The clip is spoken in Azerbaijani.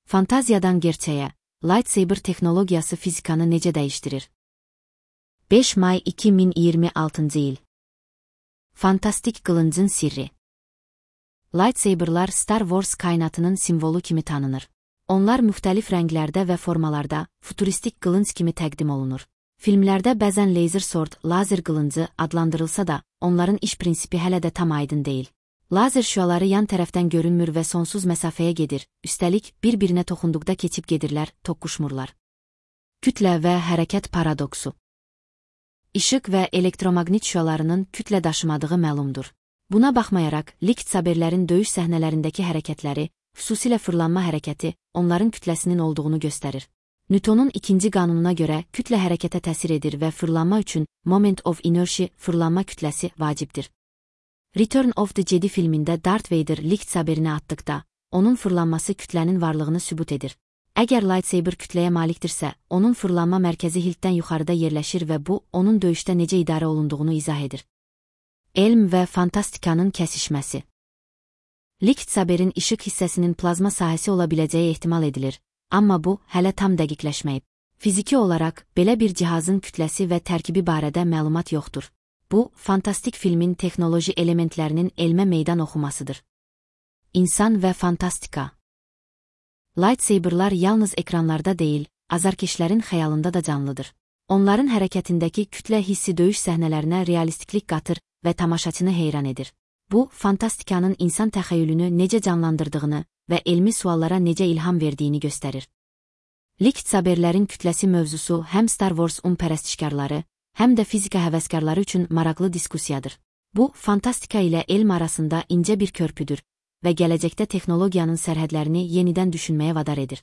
Fantaziyadan gerçəyə, lightsaber texnologiyası fizikanı necə dəyişdirir? 5 may 2026 il. Fantastik qılıncın sirri. Lightsaberlar Star Wars kainatının simvolu kimi tanınır. Onlar müxtəlif rənglərdə və formalarda, futuristik qılınc kimi təqdim olunur. Filmlərdə bəzən laser sword, lazer qılıncı adlandırılsa da, onların iş prinsipi hələ də tam aydın deyil. Lazer şüaları yan tərəfdən görünmür və sonsuz məsafəyə gedir, üstəlik bir-birinə toxunduqda keçib gedirlər, toqquşmurlar. Kütlə və hərəkət paradoksu. İşıq və elektromaqnit şüalarının kütlə daşımadığı məlumdur. Buna baxmayaraq, lightsaberlərin döyüş səhnələrindəki hərəkətləri, xüsusilə fırlanma hərəkəti, onların kütləsinin olduğunu göstərir. Newtonun ikinci qanununa görə kütlə hərəkətə təsir edir və fırlanma üçün moment of inertia, fırlanma kütləsi vacibdir. Return of the Jedi filmində Darth Vader lightsaberini atdıqda, onun fırlanması kütlənin varlığını sübut edir. Əgər lightsaber kütləyə malikdirsə, onun fırlanma mərkəzi hiltdən yuxarıda yerləşir və bu, onun döyüşdə necə idarə olunduğunu izah edir. Elm və fantastikanın kəsişməsi. Lightsaberin işıq hissəsinin plazma sahəsi ola biləcəyi ehtimal edilir, amma bu, hələ tam dəqiqləşməyib. Fiziki olaraq, belə bir cihazın kütləsi və tərkibi barədə məlumat yoxdur. Bu, fantastik filmin texnoloji elementlərinin elmə meydan oxumasıdır. İnsan və fantastika. Lightsaberlar yalnız ekranlarda deyil, azarkeşlərin xəyalında da canlıdır. Onların hərəkətindəki kütlə hissi döyüş səhnələrinə realistiklik qatır və tamaşaçını heyran edir. Bu, fantastikanın insan təxəyyülünü necə canlandırdığını və elmi suallara necə ilham verdiyini göstərir. Lightsaberlərin kütləsi mövzusu həm Star Wars pərəstişkarları, həm də fizika həvəskarları üçün maraqlı diskussiyadır. Bu, fantastika ilə elm arasında incə bir körpüdür və gələcəkdə texnologiyanın sərhədlərini yenidən düşünməyə vadar edir.